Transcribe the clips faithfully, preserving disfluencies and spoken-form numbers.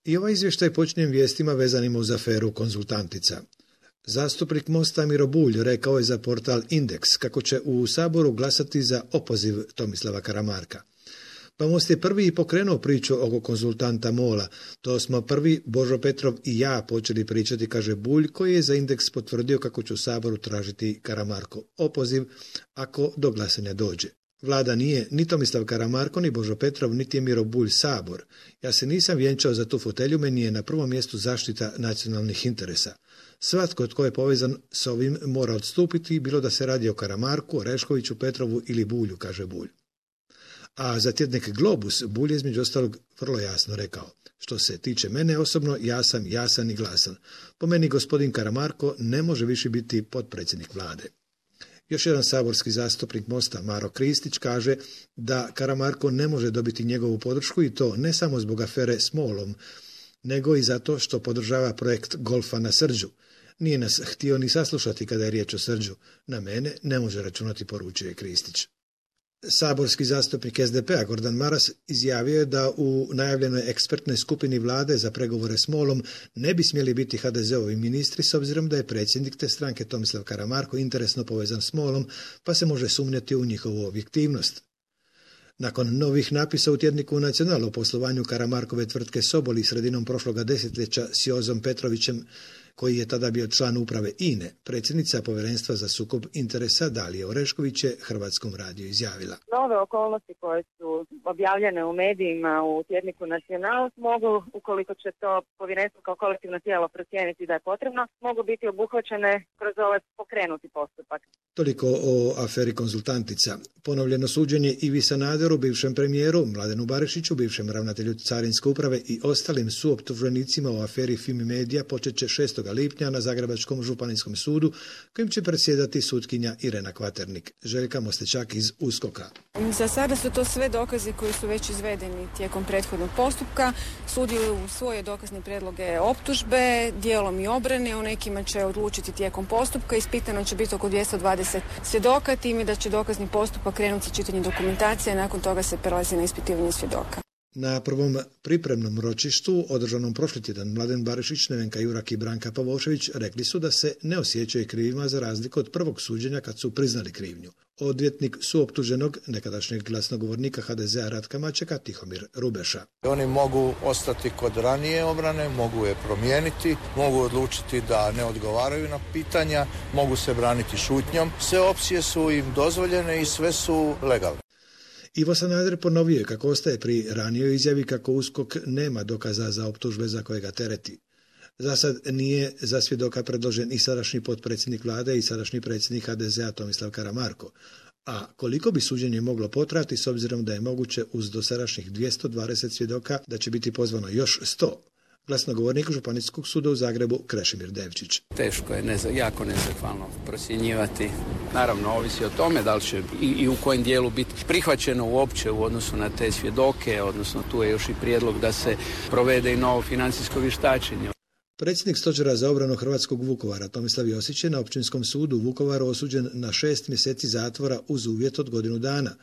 I ovaj izvještaj počinjem vijestima vezanima uz aferu konzultantica. Zastupnik Mosta Miro Bulj rekao je za portal Indeks kako će u Saboru glasati za opoziv Tomislava Karamarka. Pa Most je prvi i pokrenuo priču oko konzultanta Mola. To smo prvi, Božo Petrov i ja, počeli pričati, kaže Bulj, koji je za Indeks potvrdio kako će u Saboru tražiti Karamarko opoziv ako do glasanja dođe. Vlada nije ni Tomislav Karamarko, ni Božo Petrov, niti je Miro Bulj Sabor. Ja se nisam vjenčao za tu fotelju, meni je na prvom mjestu zaštita nacionalnih interesa. Svatko tko je povezan s ovim mora odstupiti, bilo da se radi o Karamarku, Oreškoviću, Petrovu ili Bulju, kaže Bulj. A za tjednik Globus Bulj je između ostalog vrlo jasno rekao: što se tiče mene osobno, ja sam jasan i glasan. Po meni gospodin Karamarko ne može više biti potpredsjednik vlade. Još jedan saborski zastupnik Mosta, Maro Kristić, kaže da Karamarko ne može dobiti njegovu podršku i to ne samo zbog afere s Molom, nego i zato što podržava projekt golfa na Srđu. Nije nas htio ni saslušati kada je riječ o Srđu. Na mene ne može računati, poručuje Kristić. Saborski zastupnik es de pe-a Gordan Maras izjavio je da u najavljenoj ekspertnoj skupini vlade za pregovore s Molom ne bi smjeli biti ha de ze-ovi ministri s obzirom da je predsjednik te stranke Tomislav Karamarko interesno povezan s Molom, pa se može sumnjati u njihovu objektivnost. Nakon novih napisa u tjedniku Nacional o poslovanju Karamarkove tvrtke Soboli sredinom prošloga desetljeća s Jozom Petrovićem, koji je tada bio član uprave I N E, predsjednica Povjerenstva za sukob interesa Dalija Orešković je Hrvatskom radiju izjavila: nove okolnosti koje su objavljene u medijima u tjedniku Nacional mogu, ukoliko će to povjerenstvo kao kolektivno tijelo procijeniti da je potrebno, mogu biti obuhvaćene kroz ovaj pokrenuti postupak. Toliko o aferi konzultantica. Ponovljeno suđenje Ivi Sanaderu, bivšem premijeru, Mladenu Barišiću, bivšem ravnatelju Carinske uprave i ostalim suoptuženicima o aferi Fimi Media počet će šestog lipnja na Zagrebačkom županijskom sudu, kojim će predsjedati sutkinja Irena Kvaternik. Željka Mostečak iz USKOK-a. Za sada su to sve dokazi koji su već izvedeni tijekom prethodnog postupka. Sud je u svoje dokazne prijedloge optužbe, dijelom i obrane, o nekima će odlučiti tijekom postupka. Ispitano će biti oko dvjesto dvadeset svjedoka, time da će dokazni postupak krenuti sa čitanjem dokumentacije, nakon toga se prelazi na ispitivanje svjedoka. Na prvom pripremnom ročištu, održanom prošli tjedan, Mladen Barišić, Nevenka Jurak i Branka Pavošević rekli su da se ne osjećaju krivima za razliku od prvog suđenja kad su priznali krivnju. Odvjetnik suoptuženog, nekadašnjeg glasnogovornika ha de ze-a Ratka Mačeka, Tihomir Rubeša. Oni mogu ostati kod ranije obrane, mogu je promijeniti, mogu odlučiti da ne odgovaraju na pitanja, mogu se braniti šutnjom. Sve opcije su im dozvoljene i sve su legalne. Ivo Sanader ponovio je kako ostaje pri ranijoj izjavi kako USKOK nema dokaza za optužbe za koje ga tereti. Za sad nije za svjedoka predložen i sadašnji potpredsjednik vlade i sadašnji predsjednik ha de ze-a Tomislav Karamarko. A koliko bi suđenje moglo potrajati s obzirom da je moguće uz dosadašnjih dvjesto dvadeset svjedoka da će biti pozvano još sto? Glasnogovornik Županijskog suda u Zagrebu Krešimir Devčić. Teško je, neza, jako nezahvalno procjenjivati. Naravno, ovisi o tome da li će i, i u kojem dijelu biti prihvaćeno uopće u odnosu na te svjedoke, odnosno tu je još i prijedlog da se provede i novo financijsko vještačenje. Predsjednik stožera za obranu hrvatskog Vukovara Tomislav Josić je na Općinskom sudu u Vukovaru osuđen na šest mjeseci zatvora uz uvjet od godinu dana.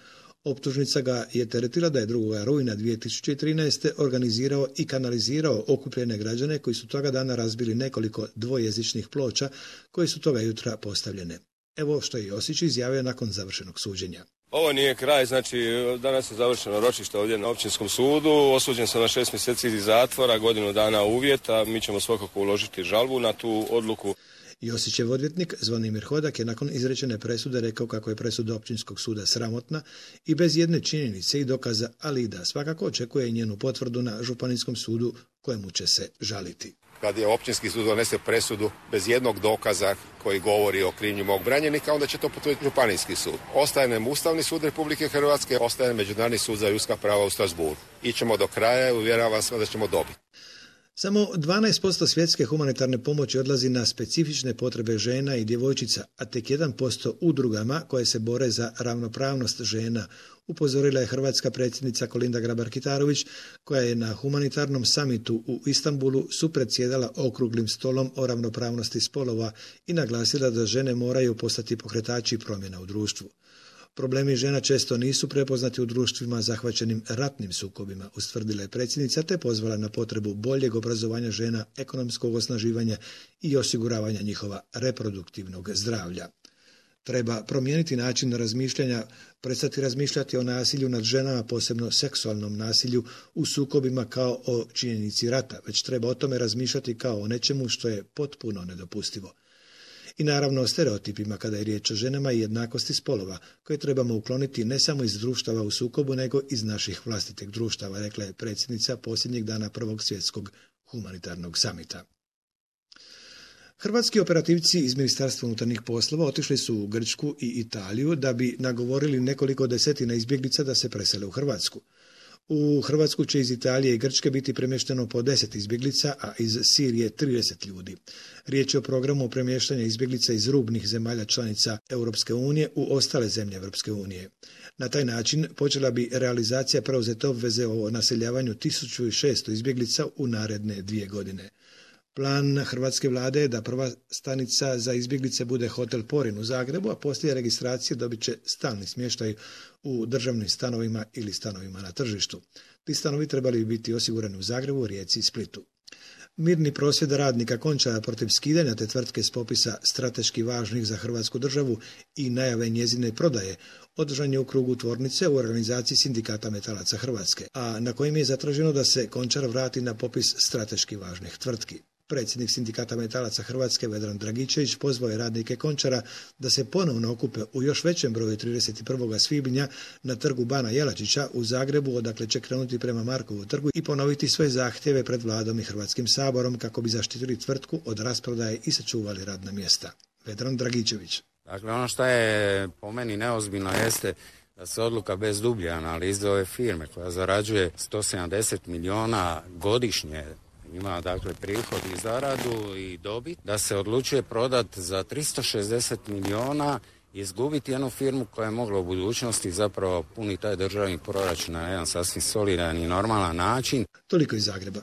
Optužnica ga je teretila da je drugog rujna dvije tisuće trinaeste. organizirao i kanalizirao okupljene građane koji su toga dana razbili nekoliko dvojezičnih ploča koje su toga jutra postavljene. Evo što je Josić izjavio nakon završenog suđenja. Ovo nije kraj, znači danas je završeno ročište ovdje na Općinskom sudu, osuđen sam na šest mjeseci zatvora, godinu dana uvjeta, mi ćemo svakako uložiti žalbu na tu odluku. Josićev odvjetnik Zvonimir Hodak je nakon izrečene presude rekao kako je presuda Općinskog suda sramotna i bez jedne činjenice i dokaza, ali i da svakako očekuje njenu potvrdu na Županijskom sudu kojemu će se žaliti. Kad je Općinski sud donese presudu bez jednog dokaza koji govori o krivnji mog branjenika, onda će to potvrditi Županijski sud. Ostaje nam Ustavni sud Republike Hrvatske, ostaje nam Međunarodni sud za ljudska prava u Strasbourgu. Ićemo do kraja i uvjeravam se da ćemo dobiti. Samo dvanaest posto svjetske humanitarne pomoći odlazi na specifične potrebe žena i djevojčica, a tek jedan posto udrugama koje se bore za ravnopravnost žena, upozorila je hrvatska predsjednica Kolinda Grabar-Kitarović, koja je na humanitarnom samitu u Istanbulu supredsjedala okruglim stolom o ravnopravnosti spolova i naglasila da žene moraju postati pokretači promjena u društvu. Problemi žena često nisu prepoznati u društvima zahvaćenim ratnim sukobima, ustvrdila je predsjednica te pozvala na potrebu boljeg obrazovanja žena, ekonomskog osnaživanja i osiguravanja njihova reproduktivnog zdravlja. Treba promijeniti način razmišljanja, prestati razmišljati o nasilju nad ženama, posebno seksualnom nasilju u sukobima kao o činjenici rata, već treba o tome razmišljati kao o nečemu što je potpuno nedopustivo. I naravno o stereotipima kada je riječ o ženama i jednakosti spolova, koje trebamo ukloniti ne samo iz društava u sukobu, nego iz naših vlastitih društava, rekla je predsjednica posljednjeg dana prvog svjetskog humanitarnog samita. Hrvatski operativci iz Ministarstva unutarnjih poslova otišli su u Grčku i Italiju da bi nagovorili nekoliko desetina izbjeglica da se presele u Hrvatsku. U Hrvatsku će iz Italije i Grčke biti premješteno po deset izbjeglica, a iz Sirije trideset ljudi. Riječ je o programu premještanja izbjeglica iz rubnih zemalja članica Europske unije u ostale zemlje Europske unije. Na taj način počela bi realizacija preuzete obveze o naseljavanju tisuću šesto izbjeglica u naredne dvije godine. Plan hrvatske vlade je da prva stanica za izbjeglice bude hotel Porin u Zagrebu, a poslije registracije dobit će stalni smještaj u državnim stanovima ili stanovima na tržištu. Ti stanovi trebali bi biti osigurani u Zagrebu, Rijeci i Splitu. Mirni prosvjed radnika Končara protiv skidanja te tvrtke s popisa strateški važnih za Hrvatsku državu i najave njezine prodaje održan je u krugu tvornice u organizaciji Sindikata metalaca Hrvatske, a na kojim je zatraženo da se Končar vrati na popis strateški važnih tvrtki. Predsjednik Sindikata metalaca Hrvatske Vedran Dragičević pozvao je radnike Končara da se ponovno okupe u još većem broju trideset prvog svibnja na trgu Bana Jelačića u Zagrebu, odakle će krenuti prema Markovu trgu i ponoviti svoje zahtjeve pred vladom i Hrvatskim saborom kako bi zaštitili tvrtku od rasprodaje i sačuvali radna mjesta. Vedran Dragičević. Dakle, ono što je po meni neozbiljno jeste da se odluka bez dublje analize ove firme koja zarađuje sto sedamdeset milijuna godišnje, ima dakle prihod i zaradu i dobit, da se odlučuje prodati za tristo šezdeset milijuna i izgubiti jednu firmu koja je mogla u budućnosti zapravo puniti taj državni proračun na jedan sasvim solidan i normalan način. Toliko iz Zagreba.